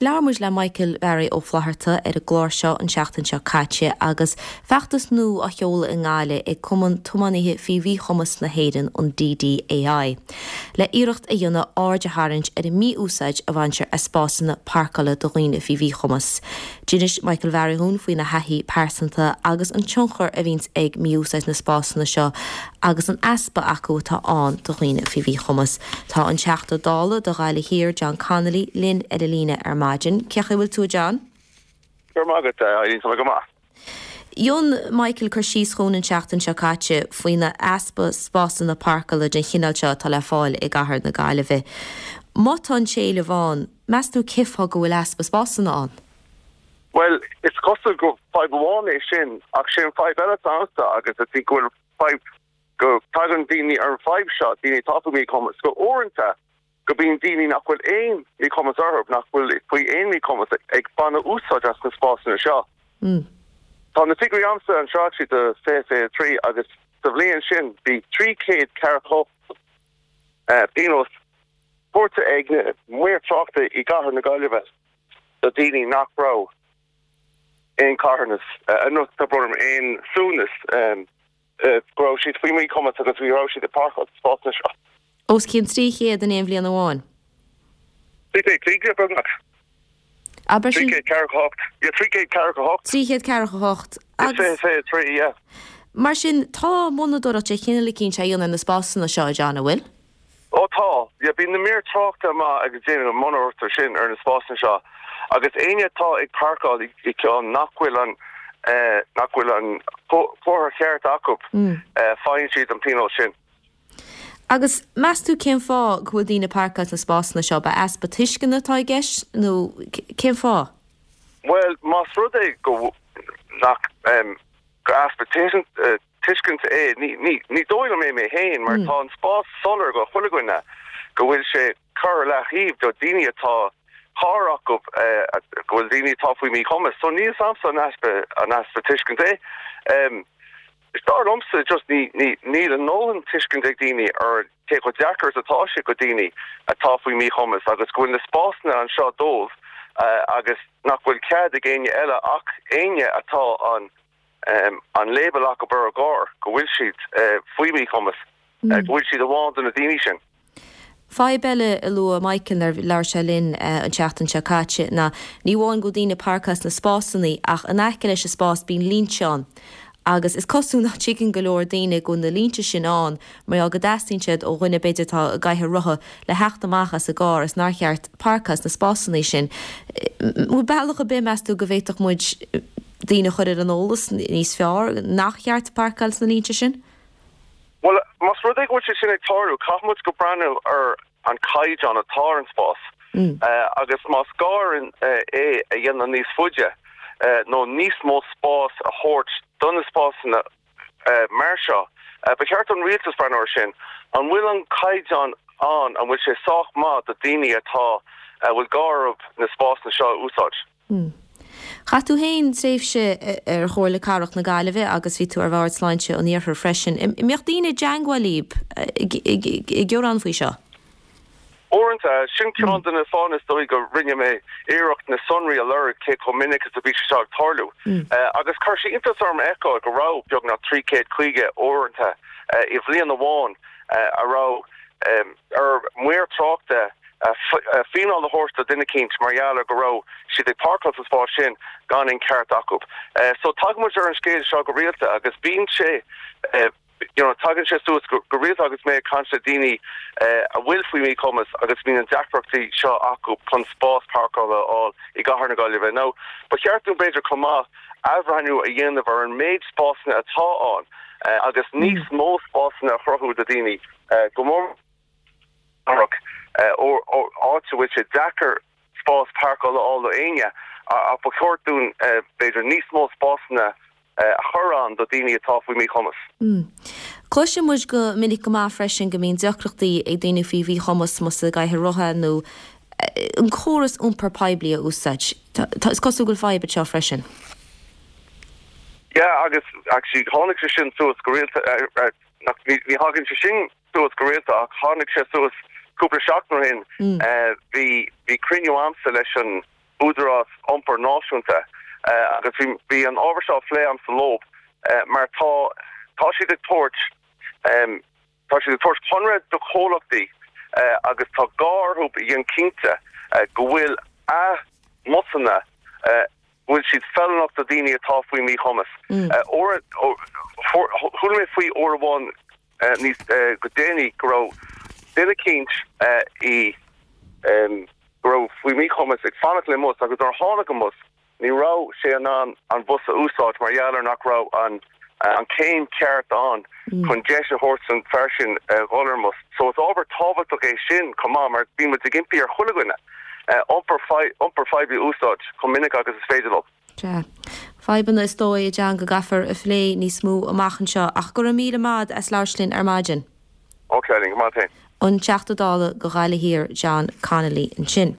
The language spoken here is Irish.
Labhair muid le Michael Bharry Ó Flatharta ar an gclár seo an tseachtain seo caite agus feachtas nua á sheoladh i nGaillimh ag Cumann Tiománaithe Faoi Mhíchumas na hÉireann, an DDAI, le iarracht a dhéanamh aird a tharraingt ar an mí-úsáid a bhaintear as spásanna páirceála do dhaoine faoi mhíchumas. D'inis Michael Bharry dhúinn faoina thaithí pearsanta agus an tionchar a bhíonns ag mí-úsáid na spásanna seo agus an easpa acu atá ann do dhaoine faoi mhíchumas. Tá an Teachta Dála do Ghaillimh Thiar, John Connolly, linn ar an líne ar maidin. Cén chaoi a bhfuil tú, a John? Go raibh maith agat, a Eileen, tá mé go maith. Dhein Michael cur síos dhúinn an tseachtain seo caite faoina easpa spásanna páirceála den chineál seo atá le fáil i gcathair na Gaillimhe. Má tá an t-éileamh ann, meas tú cén fáth go bhfuil easpa spásanna ann? Bhuel, is cosúil gur fadhb amháin é sin, ach sé an fadhb eile atá a'msa agus I think go bhfuil fadhb, go dtagann daoine ar an fadhb seo, daoine atá faoi mhíchumas, go uaireanta go bíonn daoine nach bhfuil aon mhíchumas orthu, nach bhfuil faoi aon mhíchumas ag baineadh úsáid as na spásanna seo. Tá na figiúirí a'msa anseo actually do 2023 agus sa bhliain sin bhí 348 pionós tabhartha ag na maoir tráchta i gcathair na Gaillimhe. do daoine nach raibh aon carthanas, nó tá brón orm, aon suaimhneas, go raibh siad faoi mhíchumas agus go raibh siad ag páirceáil sna spásanna seo. Os cionn 300 in aon bhliain amháin. 350, beagnach. Abair sin. 348. Yeah, 348. 348. Agus. 23, yeah. Mar sin, tá monatóireacht de chineál eicínt á dhéanamh ar na spásanna seo, a John, an bhfuil? Ó tá. Yeah, bíonn na maoir tráchta amach agus déanann an monatóireacht air sin ar na spásanna seo agus éinne atá ag páirceáil i gceann nach bhfuil an nach bhfuil an comhartha cheart acu faigheann siad an pionós sin. Agus meas tú cén fáth go bhfuil daoine ag páirceáil sna spásanna seo? Ab easpa tuisceana atá i gceist nó cén fáth? Bhuel, más rud é go nach gur easpa tuiscint é. Ní dóigh liom é mé féin mar tá an spás soiléir go chuile dhuine go bhfuil sé curtha ar leathaobh do daoine atá carr acu, go bhfuil daoine atá faoi mhíchumas. So níl 's a'msa an easpa an easpa tuiscint é. Is dar liomsa just ní ní níl a ndóthain tuiscint ag daoine ar cé chomh deacair is atá sé go daoine atá faoi mhíchumas agus go bhfuil na spásanna anseo dóibh agus nach bhfuil cead ag éinne eile ach éinne atá an an label acu ar a gcarr go bhfuil siad faoi mhíchumas, go bhfuil siad amháin do na daoine sin. Fadhb eile a luaigh Michael nuair a labhair sé linn an tseachtain seo caite ná ní amháin go bhfuil daoine ag páirceáil sna spásanna ach in aice leis an spás bíonn línte ann agus is cosúil nach dtuigeann go leor daoine go bhfuil na línte sin ann mar gheall go dteastaíonn siad ó dhuine b'fhéidir atá i gcathaoir rotha le theacht amach as a gcarr is nár cheart páirceáil sna spásanna sin. An bhfuil bealach ar bith, meas tú, go bhféadfadh muid daoine a chur ar an eolas níos fearr nach cheart páirceáil sna línte sin? Bhuel, más rud é go bhfuil sé sin ag tarlú, caithfidh muid go breathnú ar an caighdeán atá ar an spás agus más gá é a dhéanamh níos faide nó níos mó spás a thabhairt do na spásanna mar seo, ba cheart don rialtas breathnú ar sin. An bhfuil an caighdeán ann, an bhfuil sé sách maith do daoine atá, a bhfuil gá orthu na spásanna seo a úsáid? Chaith tú féin tréimhse ar Chomhairle Cathrach na Gaillimhe agus bhí tú ar Bhord Sláinte an Iarthair freisin. An mbíodh daoine i dteangmháil libh ag gearán faoi seo? Uaireanta, sin ceann de na fáthanna is dóigh go rinne mé iarracht na sonraí a lorg cé chomh minic is a bhí sé seo ag tarlú. Agus chuir sé iontas orm a fheiceáil go raibh beagnach 350 uaireanta i bhliain amháin a raibh ar maor tráchta fíneáil a thabhairt do duine eicínt mar gheall ar go raibh siad ag páirceáil sa spás sin gan aon ceart acu. So tagann muid ar an scéal seo go rialta agus bíonn sé, you know, tagann sé suas go rialta agus mé ag caint le daoine a bhfuil faoi mhíchumas agus bíonn an deacrachtaí seo acu chun spás páirceála a fháil i gcathair na Gaillimhe. Now, ba cheart dúinn b'fhéidir chomh maith athbhreithniú a dhéanamh ar an méid spásanna atá ann agus níos mó spásanna a chruthú do daoine go mór mór áit a bhfuil sé deacair spás páirceála a fháil do éinne ach ba cheart dúinn b'fhéidir níos mó spásanna a chur ann do daoine atá faoi mhíchumas. Cloiseann muid go minic go maith freisin go mbíonn deacrachtaí ag daoine faoi mhíchumas más i gcathaoir rotha nó an córas iompair poiblí a úsáid. Is cosúil go bhfuil fadhb anseo freisin. Yeah agus actually tháinig sé sin suas go rialta, ní thagann sé sin suas go rialta ach tháinig sé suas cúpla seachtain ó shin. Bhí bhí cruinniú a'msa leis an. Údarás Iompair Náisiúnta agus bhí bhí an ábhar seo á phlé agamsa leo mar tá tá siad ag tabhairt tá siad ag tabhairt conradh do chomhlachtaí agus tá gá orthu a dhéanamh cinnte go bhfuil a mbusanna go bhfuil siad feiliúnach do daoine atá faoi mhíchumas. Uair chuala mé faoi uair amháin níos go déanaí go raibh duine eicínt i go raibh faoi mhíchumas ag fanacht le mbus agus nuair a tháinig an bus ní raibh sé in ann an bus a úsáid mar gheall ar nach raibh an an céim ceart ann chun deis a thabhairt don fear sin dhul ar an mbus. So is ábhar tábhachtach é sin chomh maith mar bíonn muid ag impí ar chuile dhuine iompar iompar phoiblí a úsáid chomh minic agus is féidir leo. Sea. Fadhbanna is dóigh, a John, go gcaithfear a phlé níos mó amach anseo. Ach go raibh míle maith a'd as labhairt linn ar maidin. Ok, Eileen, go maith féin. An Teachta Dála do Ghaillimh Thiar, John Connolly ansin.